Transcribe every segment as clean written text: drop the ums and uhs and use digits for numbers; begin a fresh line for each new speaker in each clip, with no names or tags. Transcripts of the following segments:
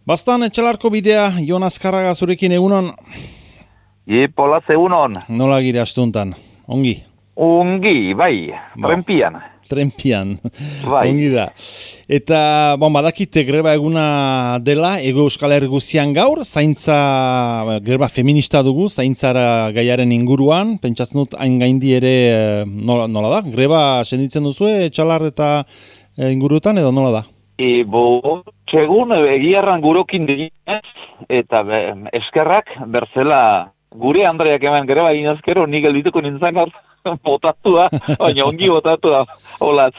Bastan etxalarko bidea, Jon Azkarraga zurekin egunon.
Polaz egunon.
Nola gire astuntan? Ongi?
Ongi, bai, Trenpian. Bai.
Ongi da. Eta, badakite greba eguna dela, Ego Euskal Herri guztian gaur, greba feminista dugu, zaintzara gaiaren inguruan, pentsatzen dut hain gaindi ere nola da? Greba senditzen duzu, etxalar eta ingurutan edo nola da?
Segun egiarran gurokin diginez, eta eskerrak berzela gure Andreak eman greba inazkero, nik geldituko nintzen gaur botatua, baina ongi botatua, olaz.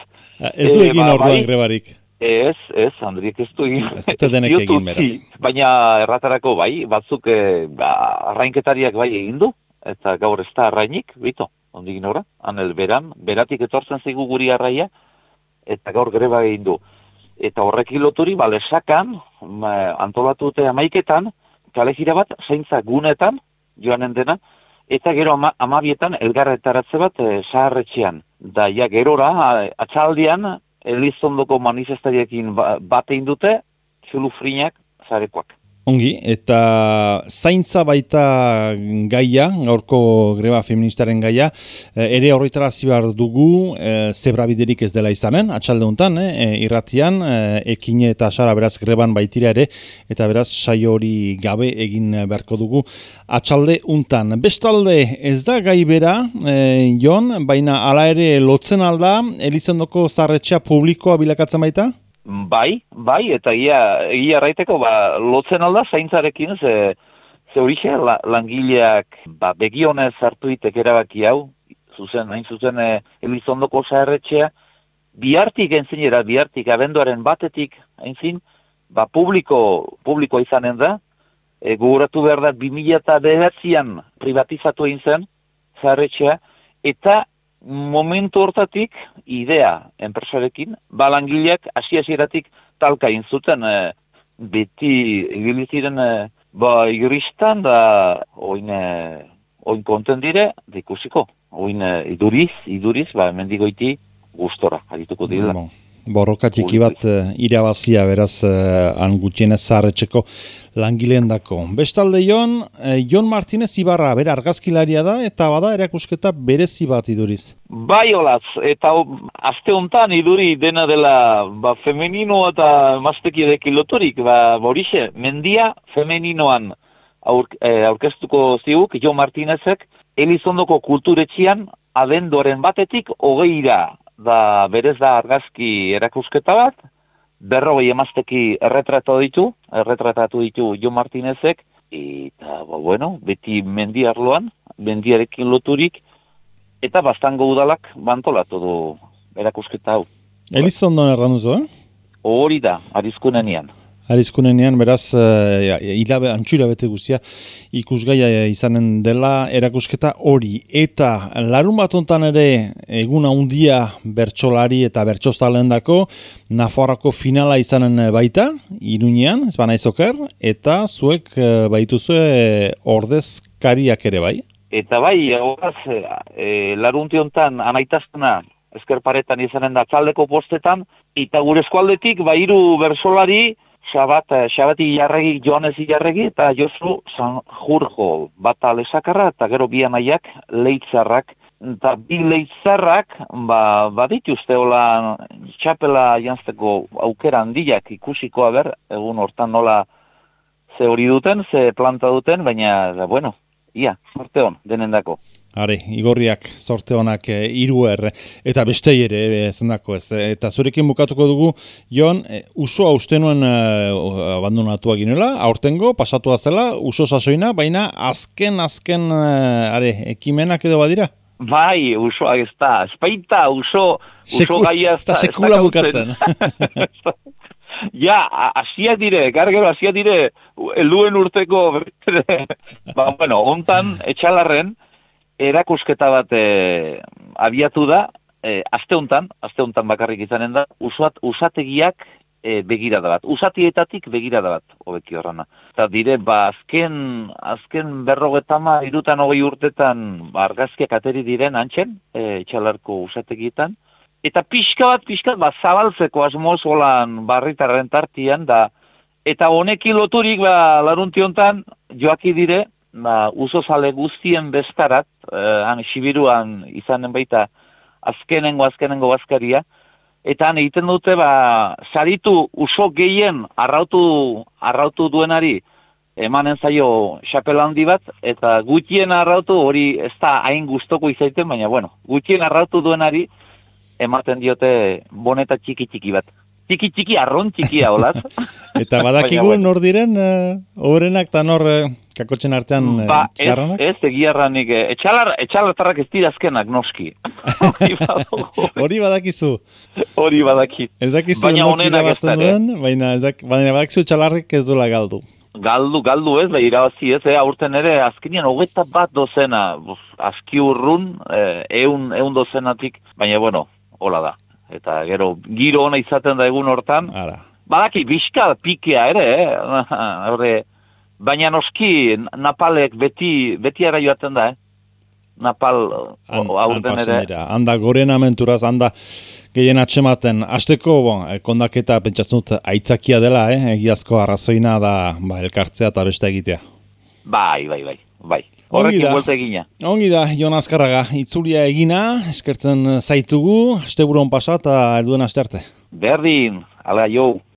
Ez du egin orduan grebarik?
Ez, Andriek ez du egin.
Ez dute denek egin, beraz.
Baina erratarako bai, batzuk arrainketariak bai egin du, eta gaur ez da arrainik, bito, ondigin ora, anel beratik etortzen zigu guri arraia, eta gaur greba egin du. Eta horrekin loturi, lesakan, antolatu dute 11etan, kalejira bat, zaintza gunetan, joanen dena, eta gero 12etan elgarretaratze bat zaharretxean. Da, gerora, atxaldian, Elizondoko manifestariekin bat egin dute, txulufrinak zarekoak.
Ongi, eta zaintza baita gaia, gaurko greba feministaren gaia, ere horretarazi behar dugu, zebrabiderik ez dela izanen, atxalde honetan, irratian, Ekine eta Sara beraz greban baitira ere, eta beraz saio hori gabe egin beharko dugu atxalde honetan. Bestalde ez da gai bera, Jon, baina hala ere lotzen alda, Elizondoko zaharretxea publikoa bilakatzen baita?
Bai, eta egia erraiteko lotzen alda zaintzarekin, ze horixe langileak begionez hartu ditek erabaki hau, hain zuzen Elizondoko zaharretxea, bihartik abenduaren batetik, hainzin, publiko izanen da, gogoratu behar da 2009an privatizatu egin zen zaharretxea, eta momentu hortatik, idea enpresarekin, langileak hasieratik talka egin zuten, beti ibiliziren iristan, da oin konten dire, ikusiko, oin iduriz, mendigoiti gustora, harituko direla.
Borroka txiki bat irabazia beraz han gutxienez zaharretxeko langileen dako. Bestalde Jon Martinez Ibarra, bera argazkilaria da, eta bada erakusketa berezi bat iduriz.
Bai olaz, eta aste hontan iduri dena dela femenino eta maztekidekin loturik, horixe, mendia femeninoan aurkeztuko ziguk Jon Martinezek, Elizondoko kulturetxian abenduaren batetik 20ra, da berez da argazki erakusketa bat, 40 emazteki erretratatu ditu Jon Martinezek, eta, beti mendi arloan, mendiarekin loturik, eta bastango udalak bantolatu du erakusketa hau.
Elizondon erranduzo,
Hori da, Arizkunenean.
Arizkunenean, beraz, antxura bete guzia ikusgaia izanen dela erakusketa hori. Eta larun bat hontan ere eguna handia bertsolari eta bertsozalen dako, Nafarroako finala izanen baita, Iruñean, ez banaiz oker, eta zuek baituzue ordezkariak ere bai? Eta
bai, larunti hontan anaitaztena eskerparetan izanen da txaldeko postetan, eta gure eskualdetik 3 bertsolari, Xabati Ilarregi, Joanes Ilarregi, eta Josu Sanjurjo, bata lesakarra, eta gero bi anaiak leitzarrak. Eta bi leitzarrak, badituzte hola txapela jantzeko aukera handiak ikusiko egun hortan nola ze hori duten, ze planta duten, baina, sorte hon, denendako.
Are, igorriak, sorte honak 3 eta bestei ere zendako ez. Eta zurekin bukatuko dugu, Jon, usoa uste nuen abandonatua ginela, aurtengo, pasatua zela, uso sasoina, baina azken ekimenak edo badira?
Bai, usoa ez da, espaita uso gaia ez da.
Ez da sekula bukatzen.
Asiak dire, helduen urteko, hontan, etxalarren, erakusketa bat abiatu da, aste hontan bakarrik izanen da, usategiak begirada bat. Usatietatik begirada bat, hobeki horrena. Eta dire, azken 53 urtetan argazkiak ateri diren antxen, etxalarko usategietan, Eta pixka bat, zabaltzeko asmoz holan barritarren tartian, da Eta honekin loturik, larunti hontan, joaki dire, uzozale guztien bestarat, han Sibiruan izanen baita azkenengo bazkaria, eta han egiten dute, saritu uso gehien arrautu duenari, emanen zaio xapela handi bat, eta gutxien arrautu hori ez da hain gustoko izaiten, baina gutxien arrautu duenari ematen diote boneta txiki bat. Txiki, arron txikia, olaz.
Eta badakigu nor diren hoberenak eta nor kakotxen artean txarranak?
Ez, egiarranik, etxalartarrak ez dira azkenak, noski.
Hori badakizu?
Hori badaki.
Ez dakizu nok irabazten duen, baina badakizu txalarrik ez duela galdu.
Galdu ez, irabazi ez, aurten ere, azkenean 21 dozena, aski urrun, 100 dozenatik, baina hola da. Eta gero, giro ona izaten da egun hortan. Badaki, bizka pikea ere, baina noski, napalek beti ara joaten da, Napal aurten ere.
Handa goren amenturaz, handa gehien atxematen. Azteko, kondaketa pentsatzen dut aitzakia dela, egiazko arrazoina da elkartzea eta beste egitea.
Bai. Horrekin buelta egina.
Ongi da, Jon Azkarraga, itzulia egina, eskertzen zaitugu, asteburon pasa eta helduen asterte.
Berdin, ala jo.